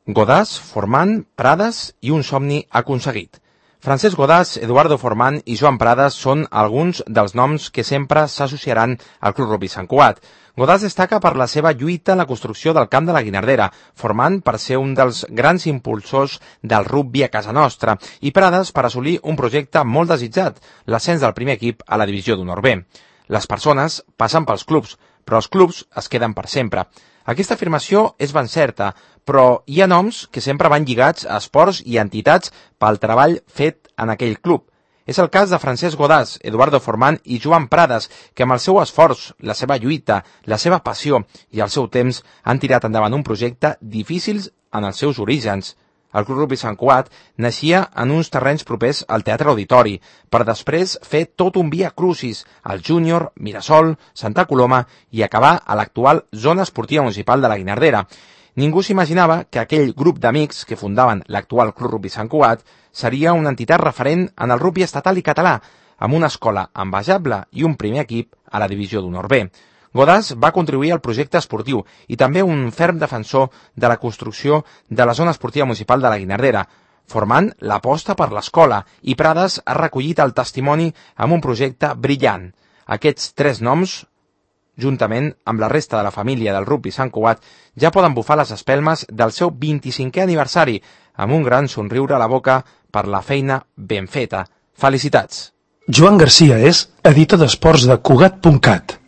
Godàs, Forman, Prades i un somni aconseguit. Francesc Godàs, Eduardo Forman i Joan Prades són alguns dels noms que sempre s'associaran al Club Rugby Sant Cugat. Godàs destaca per la seva lluita en la construcció del camp de la Guinardera, Forman per ser un dels grans impulsors del rugby a casa nostra i Prades per assolir un projecte molt desitjat, l'ascens del primer equip a la divisió d'honor B. Les persones passen pels clubs, però els clubs es queden per sempre. Aquesta afirmació és ben certa, però hi ha noms que sempre van lligats a esports i entitats pel treball fet en aquell club. És el cas de Francesc Godàs, Eduardo Forman i Joan Prades, que amb el seu esforç, la seva lluita, la seva passió i el seu temps han tirat endavant un projecte difícil en els seus orígens. El Club Rugby Sant Cugat naixia en uns terrenys propers al Teatre Auditori, per després fer tot un via crucis al Júnior, Mirasol, Santa Coloma i acabar a l'actual Zona Esportiva Municipal de la Guinardera. Ningú s'imaginava que aquell grup d'amics que fundaven l'actual Club Rugby Sant Cugat seria una entitat referent en el rugby estatal i català, amb una escola envejable i un primer equip a la divisió d'honor B. Godàs va contribuir al projecte esportiu i també un ferm defensor de la construcció de la Zona Esportiva Municipal de la Guinardera, formant l'aposta per l'escola, i Prades ha recollit el testimoni amb un projecte brillant. Aquests tres noms, juntament amb la resta de la família del rugby Sant Cugat, ja poden bufar les espelmes del seu 25è aniversari, amb un gran somriure a la boca per la feina ben feta. Felicitats! Joan Garcia és editor d'esports de Cugat.cat.